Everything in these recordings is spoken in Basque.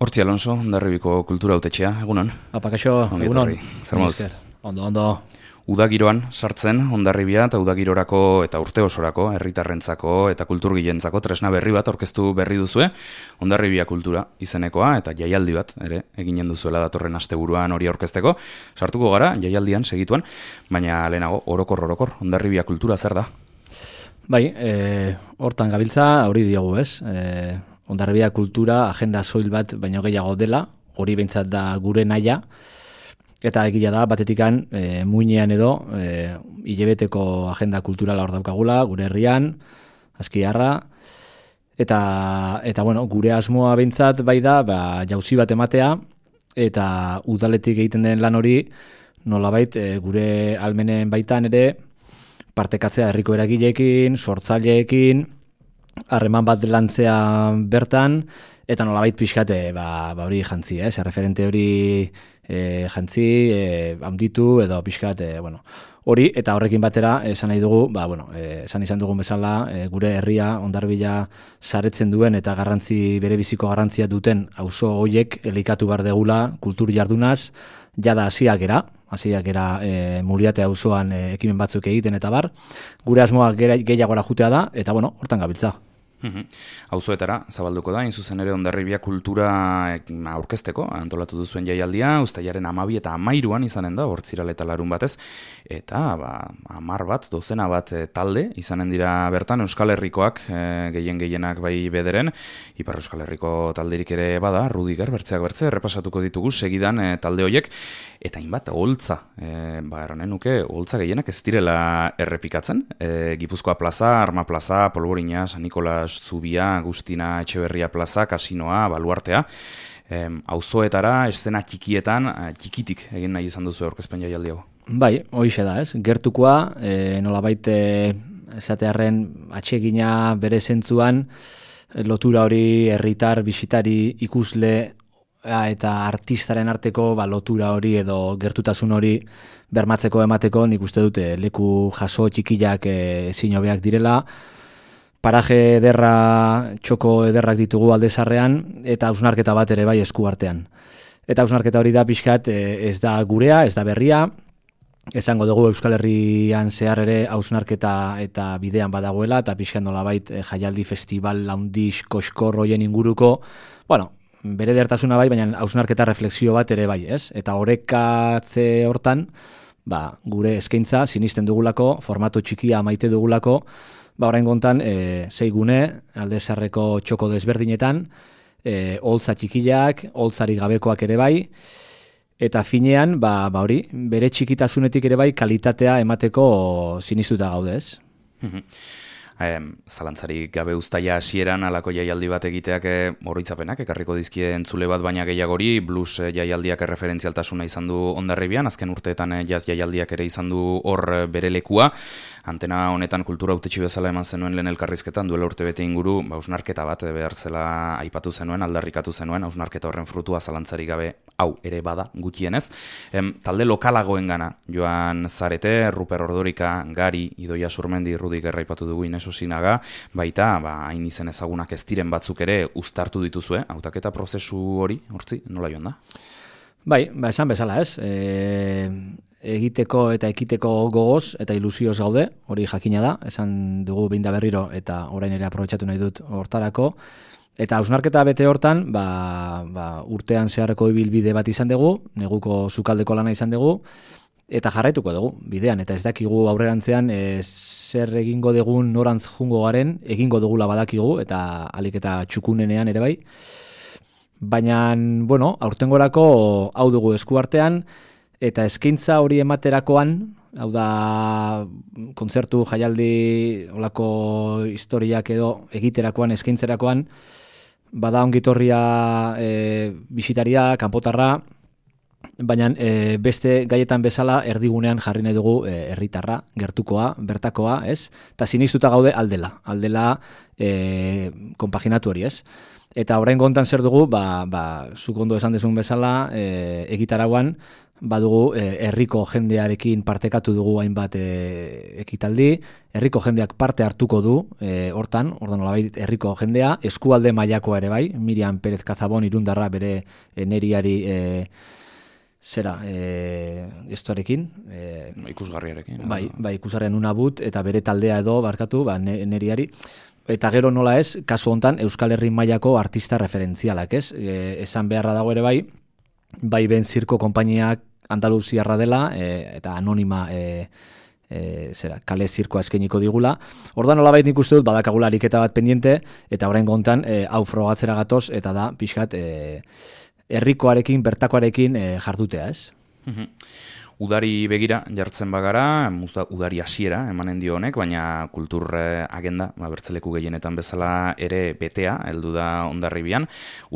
Hortzi Alonso, Hondarribiko kultura hautetxea, egunon. Apakaixo, egunon. Zer moduz? Ondo. Udagiroan sartzen Hondarribia eta udagirorako eta urte osorako, herritarrentzako eta kulturgilentzako tresna berri bat aurkeztu berri duzue, Hondarribia kultura izenekoa eta jaialdi bat ere eginen duzuela datorren asteburuan hori aurkezteko. Sartuko gara jaialdian segituan, baina lehenago orokor Hondarribia kultura zer da? Bai, hortan gabiltza, hori diogu, ez? Hondarribia kultura agenda soil bat baino gehiago dela, hori behintzat da gure naia, eta egia da, batetikan muinean edo hilabeteko agenda kulturala hor daukagula, gure herrian, Azkiarra, eta bueno, gure asmoa behintzat bai da, jauzi bat ematea, eta udaletik egiten den lan hori, nolabait gure almenen baitan ere, partekatzea herriko eragileekin, sortzaileekin, harreman bat lantzea bertan, eta nolabait pixkate hori jantzi, referente hori jantzi, handitu edo pixkate, hori, eta horrekin batera, esan nahi dugu, esan izan dugun bezala, gure herria, Hondarribia saretzen duen eta bere biziko garrantzia duten auzo hoiek elikatu behar degula kultur jardunaz, jada hasiak era Muriate auzoan ekimen batzuk egiten eta bar, gure asmoa gehiagora jutea da, eta hortan gabiltza. Auzoetara zabalduko da, zuzen ere Hondarribia kultura aurkezteko, antolatu duzuen jaialdia, uztailaren 12 eta 13an izanen da, Hortziral eta Larun batez, eta 10 bat, dozena bat talde izanen dira bertan, Euskal Herrikoak gehienak bai bederen, Ipar Euskal Herriko talderik ere bada, Rudiger, bertzeak bertze, errepasatuko ditugu segidan talde hoiek, eta hainbat holtza, erranen nuke, holtza gehienak ez direla errepikatzen, Gipuzkoa plaza, Arma plaza, Polvorina, San Nikolas Zubia, Agustina Etxeberria plaza, Kasinoa, Baluartea, auzoetara, eszena txikietan, txikitik egin nahi izan duzu aurkezpen jaialdi hau. Bai, hoixe da, ez? Gertukoa, nolabait esatearren atsegina bere zentzuan, lotura hori herritar, bisitari, ikusle eta artistaren arteko lotura hori edo gertutasun hori bermatzeko emateko, nik uste dute leku jaso txikiak ezin hobeak direla, paraje ederra, txoko ederrak ditugu Aldezarrean, eta hausnarketa bat ere bai esku artean. Eta hausnarketa hori da pixkat ez da gurea, ez da berria, esango dugu Euskal Herrian zehar ere hausnarketa eta bidean badagoela, eta pixkat nolabait jaialdi festival laundiz koskor hoien inguruko, bere dertasuna bai, baina hausnarketa refleksio bat ere bai, ez? Eta orekatze hortan, gure eskaintza sinisten dugulako, formato txikia maite dugulako, orain gontan, 6 gune, Aldezarreko txoko desberdinetan, holtza txikiak, holtzarik gabekoak ere bai, eta finean, hori, bere txikitasunetik ere bai, kalitatea emateko sinistuta gaude, ez? Zalantzarik gabe uztaila hasieran alako jaialdi bat egiteak oroitzapenak ekarriko dizkie entzule bat baina gehiagori, blues jaialdiak erreferentzialtasuna izan du Hondarribian, azken urteetan jazz jaialdiak ere izan du hor bere lekua. Antena honetan kultura hautetxe bezala eman zenuen lehen elkarrizketan, duela urte bete inguru, hausnarketa bat behar zela aipatu zenuen, aldarrikatu zenuen, hausnarketa horren frutua zalantzarik gabe hau ere bada gutxienez. Talde lokalagoen gana, joan zarete, Ruper Ordorika, Gari, Idoia Surmendi, Rudik erraipatu dugu Inesu Sinaga, baita, hain izen ezagunak ez diren batzuk ere uztartu dituzue, hautaketa prozesu hori, hortzi, nola joan da? Bai, esan bezala ez, egiteko eta ekiteko gogoz eta ilusioz gaude, hori jakina da, esan dugu behin da berriro eta orain ere aprobetxatu nahi dut hortarako, eta hausnarketa bete hortan, urtean zeharreko ibilbide bat izan dugu, neguko sukaldeko lana izan dugu, eta jarraituko dugu, bidean, eta ez dakigu aurrerantzean zer egingo dugun norantz jungo garen, egingo dugula badakigu, eta alik eta txukunenean ere bai, baina, aurtengorako hau dugu esku artean, eta eskaintza hori ematerakoan, hau da kontzertu, jaialdi, olako historiak edo egiterakoan, eskaintzerakoan, bada ongitorria bisitaria, kanpotarra, baina beste gaietan bezala erdigunean jarri nahi dugu herritarra, gertukoa, bertakoa, ez? Eta sinistuta gaude aldela konpaginatu hori, ez? Eta orain gontan zer dugu, zuk ondo esan dezun bezala, egitarauan, badugu herriko jendearekin partekatu dugu hainbat ekitaldi, herriko jendeak parte hartuko du hortan, nolabait herriko jendea, eskualde mailakoa ere bai, Miriam Pérez Cazabon irundarra bere neriari estoarekin. Ikusgarriarekin. Bai, ikusarren unabut, eta bere taldea edo, barkatu, neriari. Eta gero nola ez, kasu hontan, Euskal Herri mailako artista referentzialak, ez? Esan beharra dago ere bai ben zirko konpainiak Andaluziarra dela, eta anonima kale zirkoa eskainiko digula. Ordan nolabait nik uste dut badakagula ariketa bat pendiente, eta oraingo hontan hau frogatzera gatoz, eta da pixkat herrikoarekin, bertakoarekin jardutea, ez? Udari begira jartzen bagara, udari hasiera emanen dio honek, baina kultur agenda, bertzeleku gehienetan bezala ere betea, heldu da Hondarribian.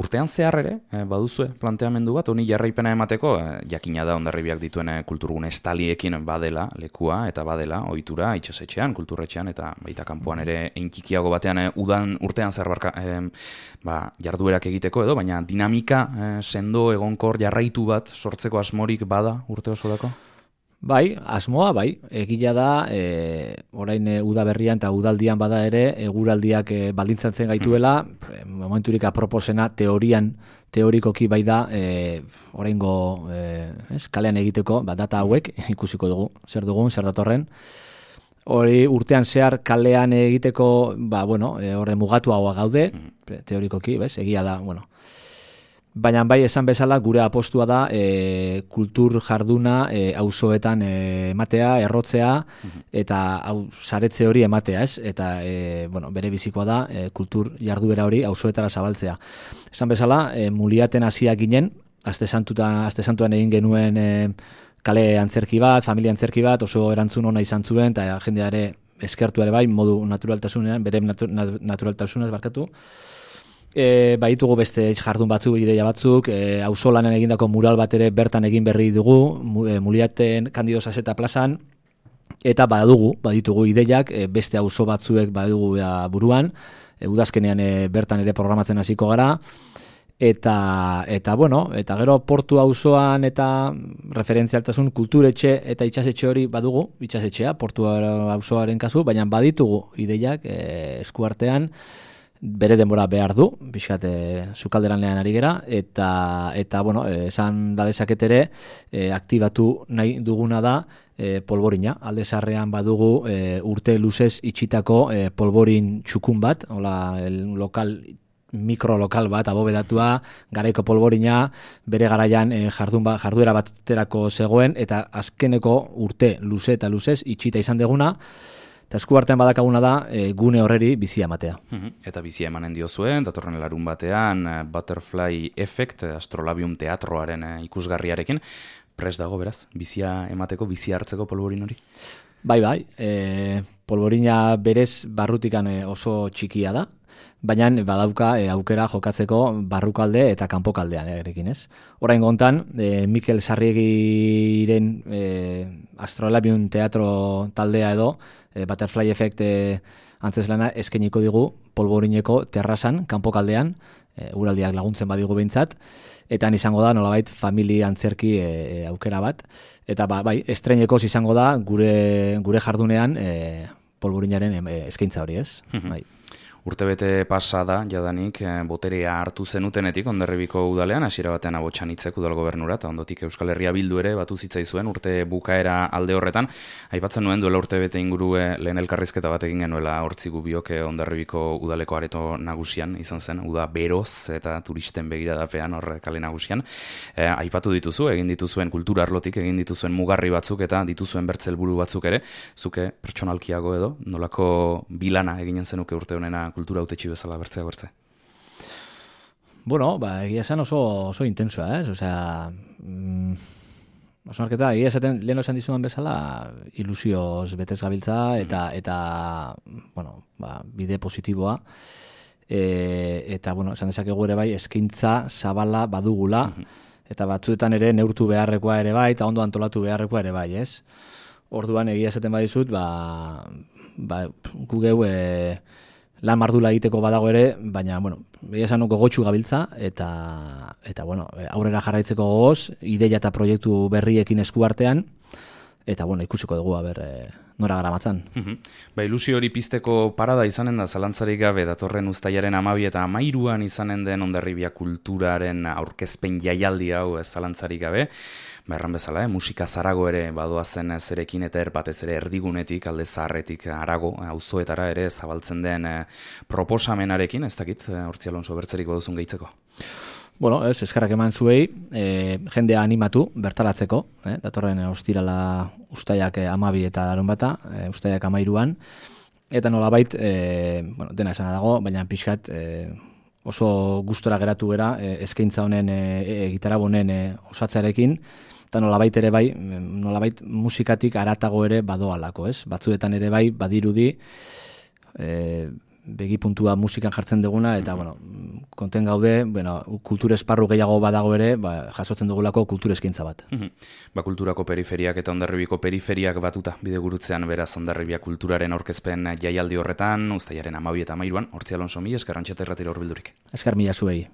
Urtean zehar ere, baduzue planteamendu bat, honi jarraipena emateko, jakina da Hondarribiak dituen kulturgune estaliekin badela lekua, eta badela ohitura itsasetxean, kulturretxean, eta baita kanpoan ere einkikiago batean urtean zehar jarduerak egiteko edo, baina dinamika sendo egonkor jarraitu bat sortzeko asmorik bada urte osorako? Bai, asmoa bai, egila da, orain udaberrian eta udaldian bada ere, eguraldiak baldintzatzen gaituela, momenturik aproposena teorikoki bai da, oraingo kalean egiteko, data hauek, ikusiko dugu, zer dugun, zer datorren. Hori urtean zehar kalean egiteko, horre mugatu haua gaude, teorikoki, egia da, Baina bai esan bezala gure apostua da kultur jarduna auzoetan ematea, errotzea eta saretze hori ematea, ez? Eta bere bizikoa da kultur jarduera hori auzoetara zabaltzea. Esan bezala Muliaten hasiak ginen, aste santuan egin genuen kale antzerki bat, familia antzerki bat, oso erantzun ona izan zuen eta jendea ere eskertu ere bai modu naturaltasunean, bere naturaltasunez barkatu. Baitugu beste jardun batzuk, ideia batzuk, auzolanen egindako mural bat ere bertan egin berri dugu, Muliaten Kandido Saseta plazan, eta baditugu ideiak, beste auzo batzuek badugu buruan, udazkenean bertan ere programatzen hasiko gara, eta gero portu auzoan eta referentzialtasun kulturetxe eta itsasetxe hori badugu, itsasetxea, portu auzoaren kasu, baina baditugu ideiak eskuartean, bere denbora behar du, pixkat sukalderan lehan ari gera, eta esan badezaket ere, aktibatu nahi duguna da polborina. Alde Zaharrean badugu urte luzez itxitako polborin txukun bat, mikrolokal bat, abobedatua, garaiko polborina, bere garaian jarduera baterako zegoen, eta azkeneko urte luze eta luzez itxita izan deguna, eta eskuartean badakaguna da gune horreri bizia ematea. Eta bizia emanen diozue, datorren larun batean Butterfly Effect, Astrolabium teatroaren ikusgarriarekin, prest dago beraz, bizia emateko, bizia hartzeko polvorin hori? Bai, polvorina berez barrutikan oso txikia da, baina badauka aukera jokatzeko barrukalde eta kanpokaldean erekin, ez? Oraingo hontan, Mikel Sarriegiren Astrolabium teatro taldea edo, Butterfly Effect antzeslana eskainiko digu polvorineko terrazan, kanpokaldean, uraldiak laguntzen badigu behintzat, eta izango da nolabait familia antzerki aukera bat, eta estreinekoz izango da gure jardunean polvorinaren eskaintza hori, ez? Bai. Urtebete pasa da, jadanik, boterea hartu zenutenetik Hondarribiko udalean, hasiera batean abotsan hitzek udal gobernura, eta ondotik Euskal Herria Bildu ere batu zitzaizuen urte bukaera alde horretan. Aipatzen nuen duela urtebete inguru lehen elkarrizketa bat egin genuela hortzi gubiok Hondarribiko udaleko areto nagusian izan zen, uda beroz eta turisten begiradapean hor kale nagusian. Aipatu dituzu, egin dituzuen kultura arlotik, egin dituzuen mugarri batzuk eta dituzuen bertzelburu batzuk ere, zuke pertsonalkiago edo, nolako bilana eginen zenuke urte honena kultura hautetxi bezala bertzea. Egia esan oso intensoa, ez? Oso marketa, egia esaten, lehen esan dizuan bezala, ilusioz betez gabiltza, eta bide positiboa, eta, esan dezakegu ere bai, eskaintza zabala badugula, eta batzuetan ere neurtu beharrekoa ere bai, eta ondo antolatu beharrekoa ere bai, ez? Orduan, egia esaten badizut, gu geu lan mardula egiteko badago ere, baina, bueno, esan gogotsu gabiltza, eta bueno, aurrera jarraitzeko gogoz, ideia eta proiektu berriekin eskuartean, eta, bueno, ikusiko dugu, nora garamatzan. Ilusio hori pizteko parada izanen da, zalantzarik gabe, datorren uztailaren 12 eta 13 izanen den Hondarribia kulturaren aurkezpen jaialdi hau zalantzarik gabe, erran bezala, musika zarago ere badoazen zerekin eta batez ere erdigunetik, alde zaharretik arago, auzoetara ere zabaltzen den proposamenarekin, ez dakit, Hortzi Alonso bertzerik baduzun gehitzeko? Bueno, eskerrak eman zuei, jendea animatu, bertaratzeko, datorren ostirala ustaiak 12 eta larunbata, ustaiak 13an, eta nolabait, dena esana dago, baina pixkat oso gustora geratu gera, eskaintza honen, gitarra honen osatzearekin, eta nolabait ere bai, nolabait musikatik aratago ere badoalako, ez? Batzuetan ere bai, badirudi, begi puntua musikan jartzen duguna, eta, bueno, konten gaude, kultur esparru gehiago badago ere, jasotzen dugulako kultur eskaintza bat. Kulturako periferiak eta Hondarribiko periferiak batuta, bidegurutzean beraz Hondarribia kulturaren aurkezpen jaialdi horretan, uztailaren 12 eta 13an, Hortzi Alonso, mila esker Antxeta Irratira hurbildurik. Esker mila zuei.